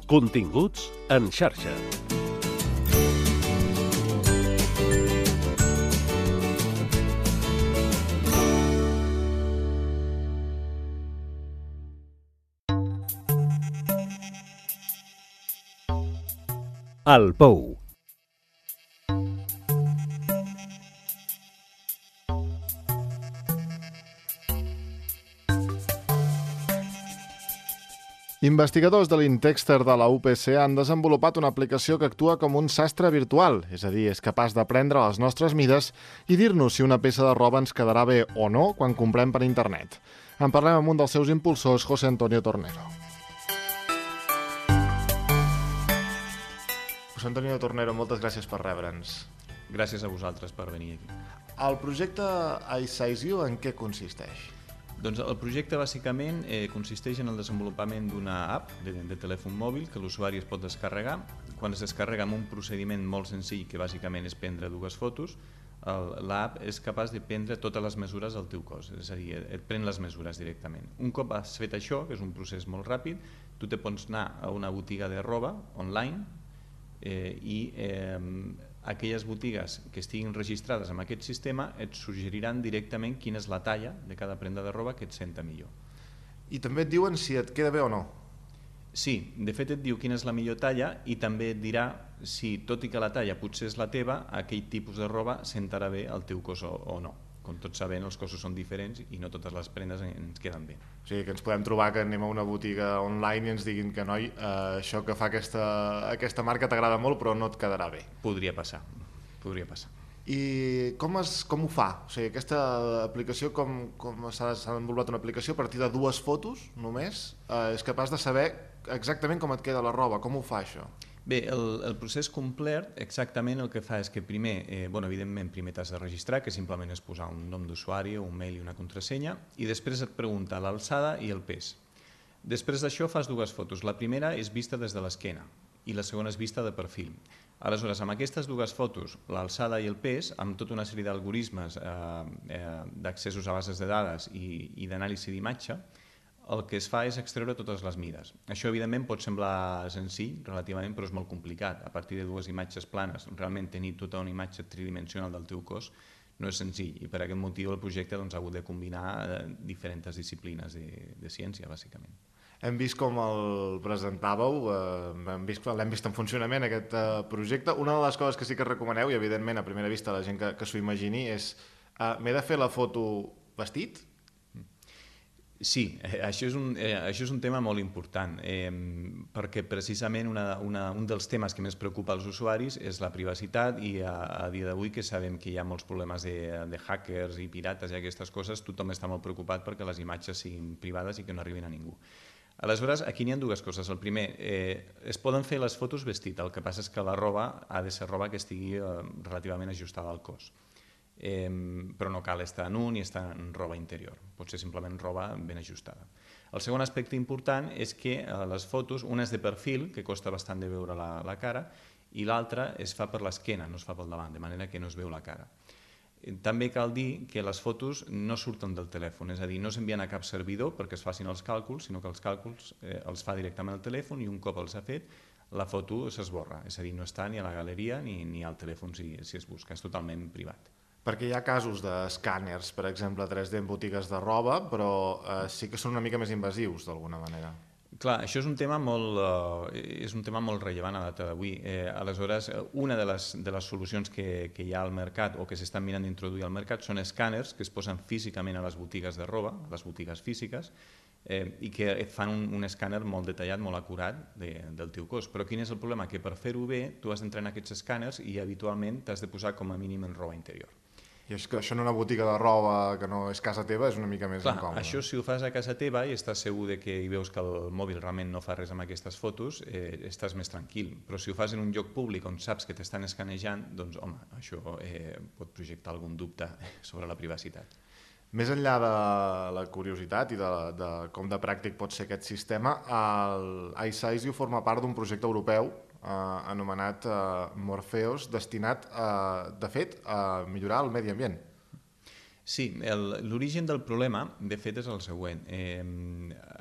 Continguts en xarxa. El Pou. Investigadors de l'Intexter de la UPC han desenvolupat una aplicació que actua com un sastre virtual, és a dir, és capaç de prendre les nostres mides i dir-nos si una peça de roba ens quedarà bé o no quan comprem per internet. En parlem amb un dels seus impulsors, José Antonio Tornero. José Antonio Tornero, moltes gràcies per rebre'ns. Gràcies a vosaltres per venir aquí. El projecte iSizeYou en què consisteix? Doncs el projecte bàsicament consisteix en el desenvolupament d'una app de telèfon mòbil que l'usuari es pot descarregar. Quan es descarrega amb un procediment molt senzill, que bàsicament és prendre dues fotos, l'app és capaç de prendre totes les mesures del teu cos, és a dir, et pren les mesures directament. Un cop has fet això, que és un procés molt ràpid, tu te pots anar a una botiga de roba online i aquelles botigues que estiguin registrades amb aquest sistema et suggeriran directament quina és la talla de cada prenda de roba que et senta millor. I també et diuen si et queda bé o no? Sí, de fet et diu quina és la millor talla i també et dirà si, tot i que la talla potser és la teva, aquell tipus de roba sentarà bé al teu cos o no. Com tots sabem, els cossos són diferents i no totes les prendes ens queden bé. O sigui, que ens podem trobar que anem a una botiga online i ens diguin que, noi, això que fa aquesta marca t'agrada molt però no et quedarà bé. Podria passar, podria passar. I com ho fa? O sigui, aquesta aplicació, com s'ha desenvolupat una aplicació a partir de dues fotos només, és capaç de saber exactament com et queda la roba. Com ho fa, això? Bé, el procés complet exactament el que fa és que primer, evidentment, primer t'has de registrar, que simplement és posar un nom d'usuari, un mail i una contrasenya, i després et pregunta l'alçada i el pes. Després d'això fas dues fotos. La primera és vista des de l'esquena i la segona és vista de perfil. Aleshores, amb aquestes dues fotos, l'alçada i el pes, amb tota una sèrie d'algoritmes d'accessos a bases de dades i d'anàlisi d'imatge, el que es fa és extreure totes les mides. Això, evidentment, pot semblar senzill, relativament, però és molt complicat. A partir de dues imatges planes, realment tenir tota una imatge tridimensional del teu cos no és senzill, i per aquest motiu el projecte ha hagut de combinar diferents disciplines de ciència, bàsicament. Hem vist com el presentàveu, l'hem vist en funcionament, aquest projecte. Una de les coses que sí que recomaneu, i evidentment a primera vista la gent que s'ho imagini, és m'he de fer la foto vestit? Sí, això és un tema molt important, perquè precisament un dels temes que més preocupa als usuaris és la privacitat, i a dia d'avui que sabem que hi ha molts problemes de hackers i pirates i aquestes coses, tothom està molt preocupat perquè les imatges siguin privades i que no arribin a ningú. Aleshores, aquí n'hi ha dues coses. El primer, es poden fer les fotos vestit, el que passa és que la roba ha de ser roba que estigui relativament ajustada al cos. Però no cal estar nu ni estar en roba interior, pot ser simplement roba ben ajustada. El segon aspecte important és que les fotos, una és de perfil, que costa bastant de veure la cara, i l'altra es fa per l'esquena, no es fa pel davant, de manera que no es veu la cara. També cal dir que les fotos no surten del telèfon, és a dir, no s'envien a cap servidor perquè es facin els càlculs, sinó que els càlculs els fa directament al telèfon i un cop els ha fet, la foto s'esborra, és a dir, no està ni a la galeria ni al telèfon si es busca, és totalment privat. Perquè hi ha casos d'escàners, per exemple, 3D en botigues de roba, però sí que són una mica més invasius, d'alguna manera. Clar, això és un tema molt rellevant a data d'avui. Aleshores, una de les solucions que hi ha al mercat o que s'estan mirant d'introduir al mercat són escàners que es posen físicament a les botigues de roba, a les botigues físiques, i que et fan un escàner molt detallat, molt acurat del teu cos. Però quin és el problema? Que per fer-ho bé tu has d'entrar en aquests escàners i habitualment t'has de posar com a mínim en roba interior. I és que això en una botiga de roba que no és casa teva és una mica més incòmode. Això si ho fas a casa teva i estàs segur que hi veus que el mòbil realment no fa res amb aquestes fotos, estàs més tranquil. Però si ho fas en un lloc públic on saps que t'estan escanejant, doncs home, això pot projectar algun dubte sobre la privacitat. Més enllà de la curiositat i de com de pràctic pot ser aquest sistema, el iSizeYou forma part d'un projecte europeu anomenat Morpheus, destinat, de fet, a millorar el medi ambient. Sí, l'origen del problema, de fet, és el següent.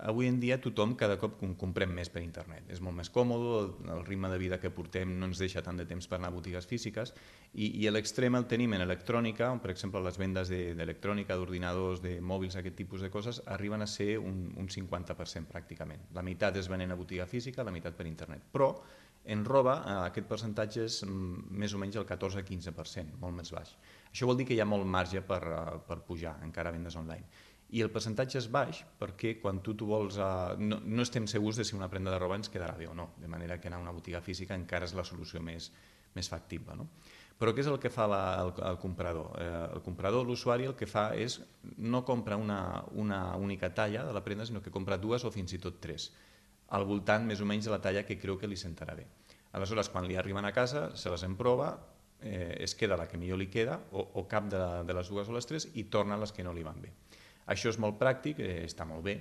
Avui en dia tothom cada cop comprem més per internet. És molt més còmode, el ritme de vida que portem no ens deixa tant de temps per anar a botigues físiques i a l'extrem el tenim en electrònica, on per exemple les vendes d'electrònica, d'ordinadors, de mòbils, aquest tipus de coses, arriben a ser un 50% pràcticament. La meitat es venen a botiga física, la meitat per internet. Però en roba aquest percentatge és més o menys el 14-15%, molt més baix. Això vol dir que hi ha molt marge per pujar encara a vendes online. I el percentatge és baix perquè quan tu vols... No estem segurs de si una prenda de roba ens quedarà bé o no, de manera que anar a una botiga física encara és la solució més factible. No? Però què és el que fa el comprador? El comprador, l'usuari, el que fa és no compra una única talla de la prenda, sinó que compra dues o fins i tot tres, al voltant més o menys de la talla que creu que li sentarà bé. Aleshores, quan li arriben a casa, se les emprova, es queda la que millor li queda, o cap de les dues o les tres, i torna les que no li van bé. Això és molt pràctic, està molt bé,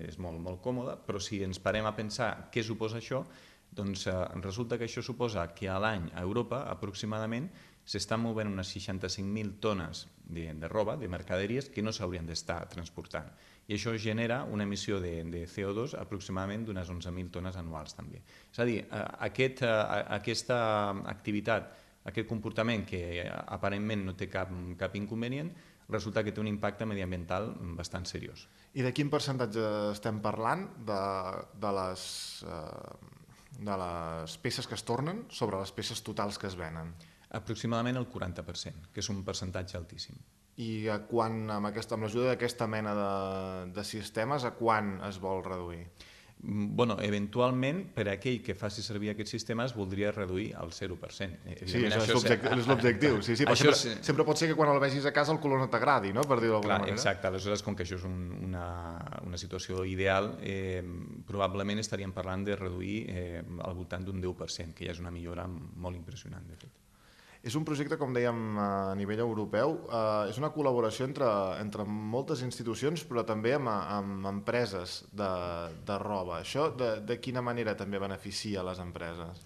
és molt còmode, però si ens parem a pensar què suposa això, doncs resulta que això suposa que a l'any a Europa aproximadament s'estan movent unes 65.000 tones de roba, de mercaderies, que no s'haurien d'estar transportant. I això genera una emissió de CO2 aproximadament d'unes 11.000 tones anuals també. És a dir, aquesta activitat, aquest comportament que aparentment no té cap inconvenient, resulta que té un impacte mediambiental bastant seriós. I de quin percentatge estem parlant de les peces que es tornen sobre les peces totals que es venen? Aproximadament el 40%, que és un percentatge altíssim. I amb l'ajuda d'aquesta mena de sistemes, a quan es vol reduir? Bueno, eventualment, per a aquell que faci servir aquests sistemes, voldria reduir al 0%. Sí, això és l'objectiu. Sí, sempre pot ser que quan el vegis a casa el color no t'agradi, no? Per dir-ho d'alguna manera. Exacte, aleshores, com que això és una situació ideal, probablement estaríem parlant de reduir al voltant d'un 10%, que ja és una millora molt impressionant, de fet. És un projecte, com dèiem, a nivell europeu. És una col·laboració entre moltes institucions, però també amb empreses de roba. Això de quina manera també beneficia les empreses?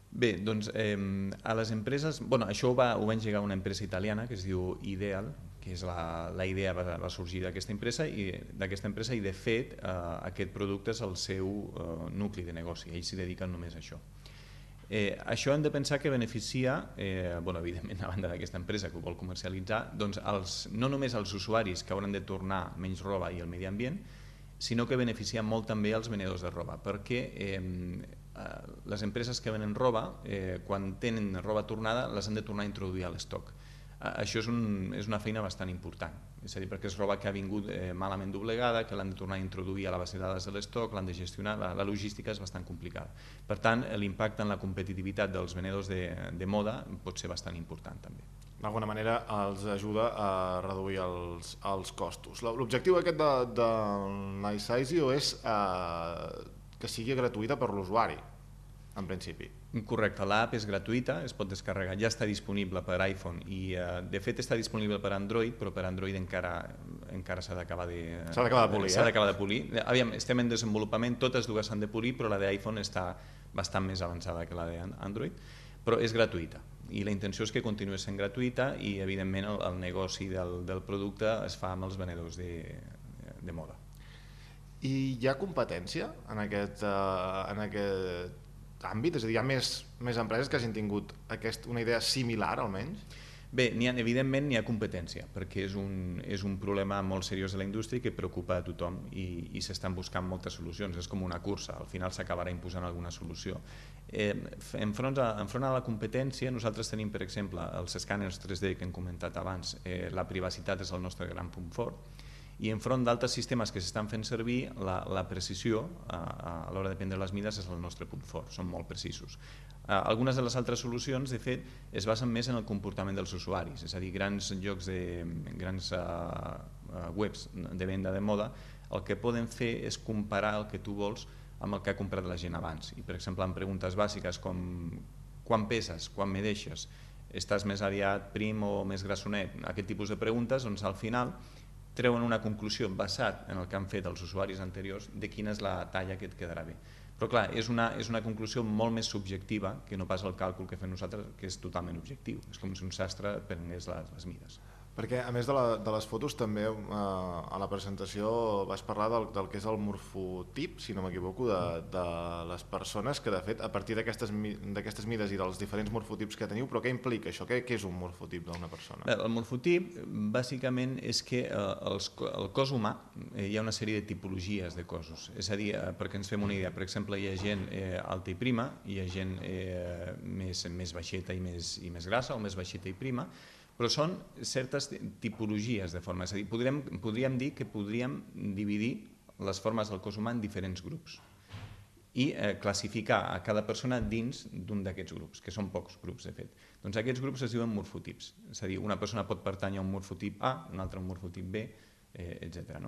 Bé, doncs a les empreses... Això ho va engegar una empresa italiana que es diu Ideal, que és la idea va sorgir d'aquesta empresa i de fet aquest producte és el seu nucli de negoci, ells s'hi dediquen només a això. Això hem de pensar que beneficia, evidentment a banda d'aquesta empresa que ho vol comercialitzar, doncs no només als usuaris que hauran de tornar menys roba i el medi ambient, sinó que beneficia molt també als venedors de roba, perquè les empreses que venen roba, quan tenen roba tornada, les han de tornar a introduir a l'estoc. Això és una feina bastant important, és a dir, perquè és roba que ha vingut malament doblegada, que l'han de tornar a introduir a la base de dades de l'estoc, l'han de gestionar, la logística és bastant complicada. Per tant, l'impacte en la competitivitat dels venedors de moda pot ser bastant important també. D'alguna manera els ajuda a reduir els costos. L'objectiu aquest de l'iSizio és que sigui gratuïta per l'usuari, en principi. Correcte, l'app és gratuïta, es pot descarregar, ja està disponible per iPhone i de fet està disponible per Android, però per Android encara s'ha d'acabar de polir. Aviam, estem en desenvolupament, totes dues s'han de polir, però la d'iPhone està bastant més avançada que la d'Android, però és gratuïta i la intenció és que continuï sent gratuïta i evidentment el negoci del producte es fa amb els venedors de moda. I hi ha competència en aquest àmbit? És a dir, hi ha més empreses que hagin tingut una idea similar, almenys? Bé, evidentment n'hi ha competència, perquè és un problema molt seriós de la indústria que preocupa a tothom i s'estan buscant moltes solucions. És com una cursa, al final s'acabarà imposant alguna solució. Enfront a la competència, nosaltres tenim, per exemple, els escàners 3D que hem comentat abans. La privacitat és el nostre gran punt fort. I enfront d'altres sistemes que s'estan fent servir, la precisió a l'hora de prendre les mides és el nostre punt fort, són molt precisos. Algunes de les altres solucions, de fet, es basen més en el comportament dels usuaris, és a dir, grans webs de venda de moda, el que poden fer és comparar el que tu vols amb el que ha comprat la gent abans. I, per exemple, en preguntes bàsiques com quan peses, quan me deixes, estàs més aviat prim o més grassonet, aquest tipus de preguntes, doncs al final treuen una conclusió basat en el que han fet els usuaris anteriors de quina és la talla que et quedarà bé. Però clar, és una conclusió molt més subjectiva que no pas el càlcul que fem nosaltres, que és totalment objectiu. És com si un sastre prengués les mides. Perquè, a més de les fotos, també a la presentació vas parlar del que és el morfotip, si no m'equivoco, de les persones, que de fet, a partir d'aquestes mides i dels diferents morfotips que teniu, però què implica això? Què és un morfotip d'una persona? El morfotip, bàsicament, és que el cos humà hi ha una sèrie de tipologies de cossos. És a dir, perquè ens fem una idea, per exemple, hi ha gent alta i prima, hi ha gent més baixeta i més grassa, o més baixeta i prima, però són certes tipologies de forma. És a dir, podríem dir que podríem dividir les formes del cos humà en diferents grups i classificar a cada persona dins d'un d'aquests grups, que són pocs grups, de fet. Doncs aquests grups es diuen morfotips. És a dir, una persona pot pertànyer a un morfotip A, una altra a un morfotip B, etc.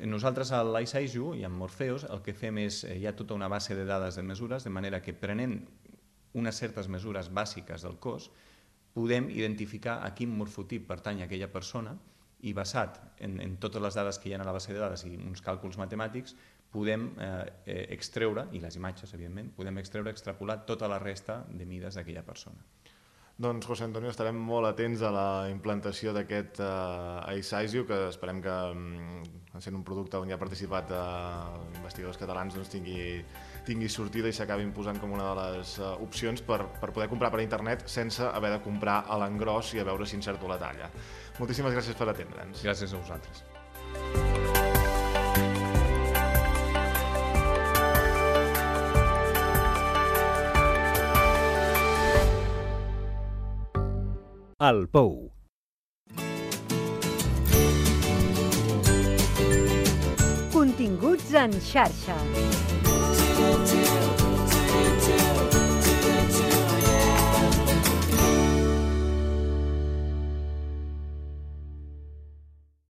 Nosaltres a l'I-Size i amb Morpheus el que fem és, hi ha tota una base de dades de mesures, de manera que prenent unes certes mesures bàsiques del cos, podem identificar a quin morfotip pertany aquella persona i basat en totes les dades que hi ha a la base de dades i uns càlculs matemàtics podem extreure, i les imatges evidentment, podem extrapolar tota la resta de mides d'aquella persona. Doncs, José Antonio, estarem molt atents a la implantació d'aquest iSize, que esperem que, sent un producte on hi ha participat investigadors catalans, doncs tingui sortida i s'acabin posant com una de les opcions per poder comprar per internet sense haver de comprar a l'engròs i a veure si encerto la talla. Moltíssimes gràcies per atendre'ns. Gràcies a vosaltres. El Pou. Continguts en xarxa.